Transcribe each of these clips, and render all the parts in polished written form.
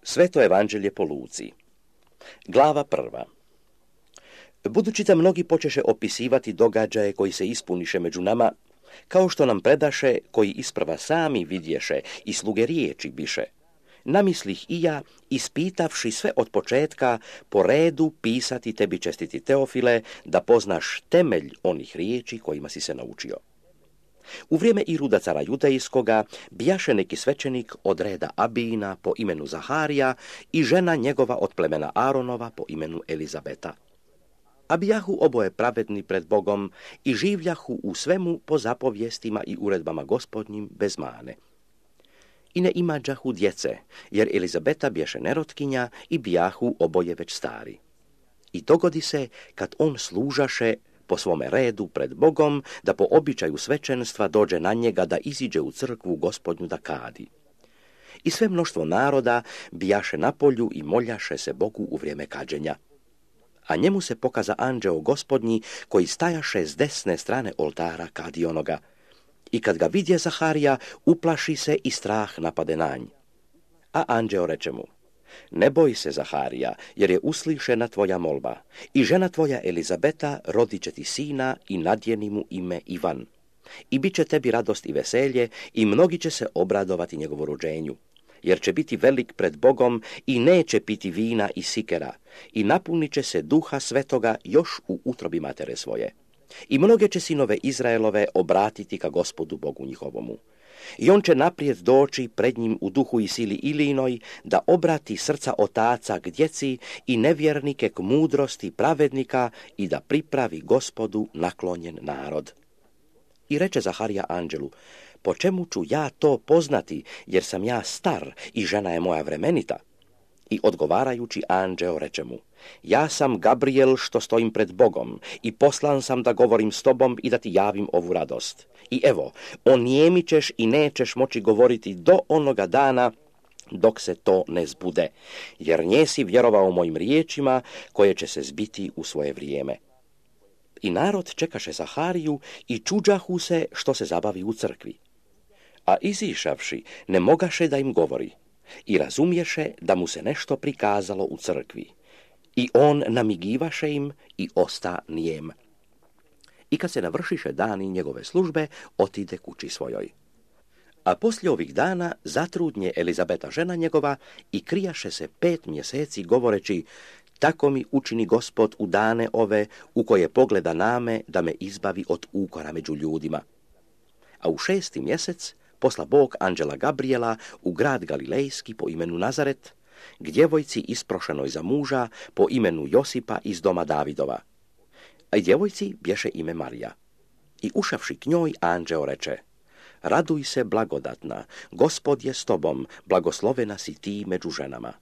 Sveto evanđelje po Luci. Glava 1. Budući da mnogi počeše opisivati događaje koji se ispuniše među nama, kao što nam predaše, koji isprva sami vidješe i sluge riječi biše, namislih i ja, ispitavši sve od početka, po redu pisati tebi, čestiti Teofile, da poznaš temelj onih riječi kojima si se naučio. U vrijeme Iruda cara judejskoga bijaše neki svećenik od reda Abijina po imenu Zaharija i žena njegova od plemena Aronova po imenu Elizabeta. A bijahu oboje pravedni pred Bogom i življahu u svemu po zapovjestima i uredbama Gospodnjim bez mane. I ne imađahu djece, jer Elizabeta bješe nerotkinja i bijahu oboje već stari. I dogodi se, kad on služaše po svome redu pred Bogom, da po običaju svećenstva dođe na njega da iziđe u crkvu Gospodnju da kadi. I sve mnoštvo naroda bijaše na polju i moljaše se Bogu u vrijeme kađenja. A njemu se pokaza anđeo Gospodnji koji stajaše s desne strane oltara kadionoga. I kad ga vidje Zaharija, uplaši se i strah napade na nj. A anđeo reče mu: ne boj se, Zaharija, jer je uslišena tvoja molba, i žena tvoja Elizabeta rodit će ti sina i nadjeni mu ime Ivan. I bit će tebi radost i veselje, i mnogi će se obradovati njegovu rođenju, jer će biti velik pred Bogom i neće piti vina i sikera, i napunit će se Duha Svetoga još u utrobi matere svoje. I mnoge će sinove Izraelove obratiti ka Gospodu Bogu njihovomu. I on će naprijed doći pred njim u duhu i sili Ilijinoj, da obrati srca otaca k djeci i nevjernike k mudrosti pravednika i da pripravi Gospodu naklonjen narod. I reče Zaharija anđelu: po čemu ću ja to poznati, jer sam ja star i žena je moja vremenita? I odgovarajući anđeo reče mu: ja sam Gabriel što stojim pred Bogom i poslan sam da govorim s tobom i da ti javim ovu radost. I evo, onijemit ćeš i nećeš moći govoriti do onoga dana dok se to ne zbude, jer njesi vjerovao mojim riječima koje će se zbiti u svoje vrijeme. I narod čekaše Zahariju i čuđahu se što se zabavi u crkvi. A izišavši ne mogaše da im govori i razumješe da mu se nešto prikazalo u crkvi. I on namigivaše im i osta nijem. I kad se navršiše dani njegove službe, otide kući svojoj. A poslije ovih dana zatrudnje Elizabeta žena njegova i krijaše se 5 mjeseci govoreći: tako mi učini Gospod u dane ove u koje pogleda name da me izbavi od ukora među ljudima. A u 6. mjesec posla Bog anđela Gabriela u grad Galilejski po imenu Nazaret, k djevojci isprošenoj za muža po imenu Josipa iz doma Davidova. A i djevojci bješe ime Marija. I ušavši k njoj, anđeo reče: raduj se, blagodatna, Gospod je s tobom, blagoslovena si ti među ženama.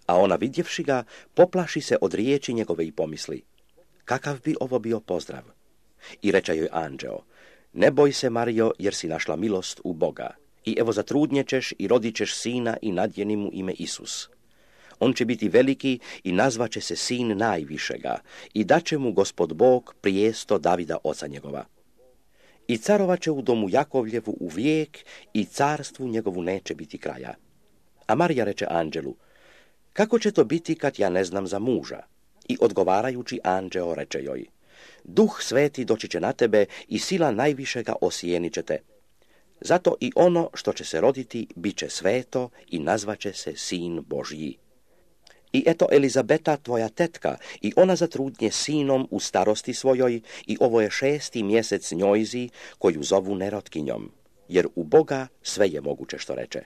A ona vidjevši ga, poplaši se od riječi njegove i pomisli: kakav bi ovo bio pozdrav? I reče joj anđeo: ne boj se, Marijo, jer si našla milost u Boga. I evo zatrudnjećeš i rodit ćeš sina i nadjeni mu ime Isus. On će biti veliki i nazvaće se sin najvišega i daće mu Gospod Bog prijesto Davida oca njegova. I carovaće u domu Jakovljevu u vijek i carstvu njegovu neće biti kraja. A Marija reče anđelu: kako će to biti kad ja ne znam za muža? I odgovarajući anđeo reče joj: Duh Sveti doći će na tebe i sila najvišega osijenit će te. Zato i ono što će se roditi bit će sveto i nazvaće se Sin Božji. I eto, Elizabeta, tvoja tetka, i ona zatrudnje sinom u starosti svojoj, i ovo je 6. mjesec njojzi, koju zovu nerotkinjom, jer u Boga sve je moguće što reče.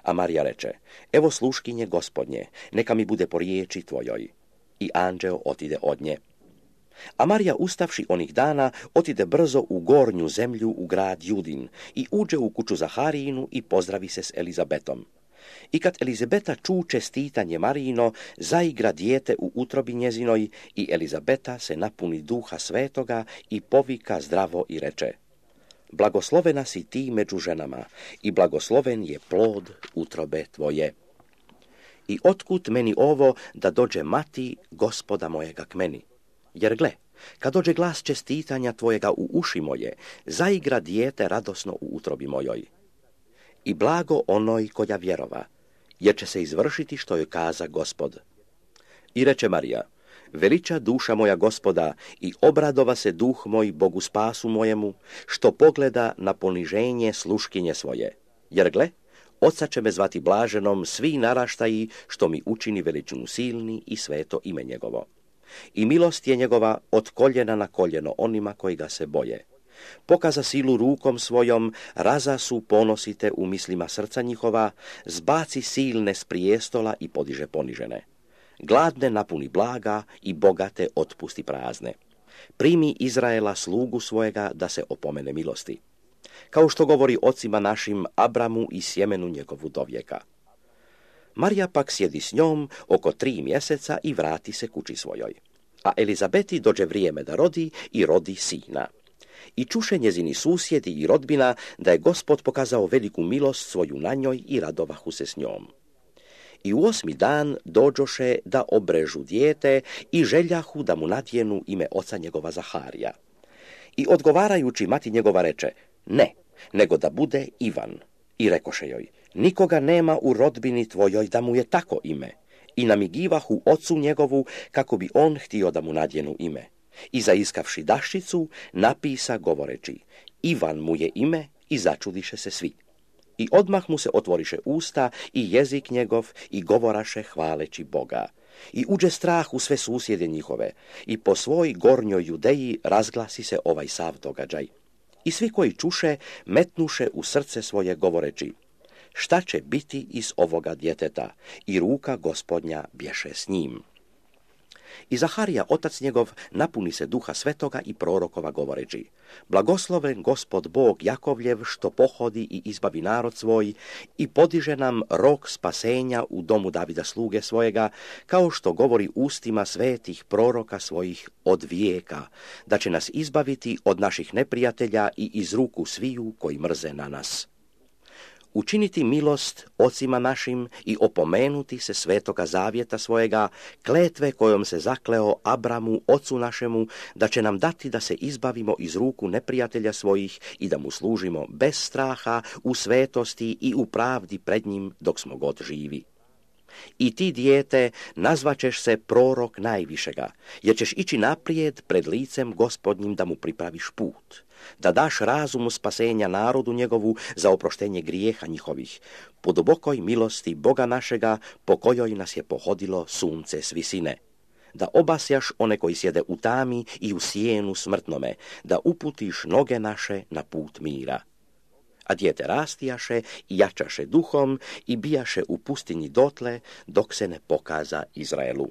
A Marija reče: evo sluškinje Gospodnje, neka mi bude po riječi tvojoj. I anđeo otide od nje. A Marija, ustavši onih dana, otide brzo u gornju zemlju u grad Judin i uđe u kuću Zaharijinu i pozdravi se s Elizabetom. I kad Elizabeta ču čestitanje Marijino, zaigra dijete u utrobi njezinoj i Elizabeta se napuni Duha Svetoga i povika zdravo i reče: blagoslovena si ti među ženama i blagosloven je plod utrobe tvoje. I otkud meni ovo da dođe mati Gospoda mojega k meni? Jer gle, kad dođe glas čestitanja tvojega u uši moje, zaigra dijete radosno u utrobi mojoj. I blago onoj koja vjerova jer će se izvršiti što joj kaza Gospod. I reče Marija, veliča duša moja Gospoda i obradova se duh moj Bogu spasu mojemu, što pogleda na poniženje sluškinje svoje. Jer gle, oca će me zvati blaženom svi naraštaji, što mi učini veličinu silni i sveto ime njegovo. I milost je njegova od koljena na koljeno onima koji ga se boje. Pokaza silu rukom svojom, raza su ponosite u mislima srca njihova, zbaci silne s prijestola i podiže ponižene. Gladne napuni blaga i bogate otpusti prazne. Primi Izraela slugu svojega da se opomene milosti. Kao što govori ocima našim Abramu i sjemenu njegovu dovijeka. Marija pak sjedi s njom oko 3 mjeseca i vrati se kući svojoj. A Elizabeti dođe vrijeme da rodi i rodi sina. I čuše njezini susjedi i rodbina da je Gospod pokazao veliku milost svoju na njoj i radovahu se s njom. I u 8. dan dođoše da obrežu dijete i željahu da mu nadjenu ime oca njegova Zaharija. I odgovarajući mati njegova reče, ne, nego da bude Ivan. I rekoše joj, nikoga nema u rodbini tvojoj da mu je tako ime. I namigivahu ocu njegovu kako bi on htio da mu nadjenu ime. I zaiskavši daščicu, napisa govoreći, Ivan mu je ime i začudiše se svi. I odmah mu se otvoriše usta i jezik njegov i govoraše hvaleći Boga. I uđe strah u sve susjede njihove i po svoj gornjoj Judeji razglasi se ovaj sav događaj. I svi koji čuše metnuše u srce svoje govoreći, šta će biti iz ovoga djeteta? I ruka Gospodnja bješe s njim. I Zaharija, otac njegov, napuni se duha svetoga i prorokova govoreći, blagosloven Gospod Bog Jakovljev što pohodi i izbavi narod svoj i podiže nam rok spasenja u domu Davida sluge svojega, kao što govori ustima svetih proroka svojih od vijeka, da će nas izbaviti od naših neprijatelja i iz ruku sviju koji mrze na nas. Učiniti milost ocima našim i opomenuti se svetoga zavjeta svojega, kletve kojom se zakleo Abramu, ocu našemu, da će nam dati da se izbavimo iz ruku neprijatelja svojih i da mu služimo bez straha, u svetosti i u pravdi pred njim dok smo god živi. I ti, dijete, nazvaćeš se prorok najvišega, jer ćeš ići naprijed pred licem Gospodnjim da mu pripraviš put, da daš razumu spasenja narodu njegovu za oproštenje grijeha njihovih, po dubokoj milosti Boga našega, po kojoj nas je pohodilo sunce s visine. Da obasjaš one koji sjede u tami i u sjenu smrtnome, da uputiš noge naše na put mira. A dijete rastijaše i jačaše duhom i bijaše u pustinji dotle, dok se ne pokaza Izraelu.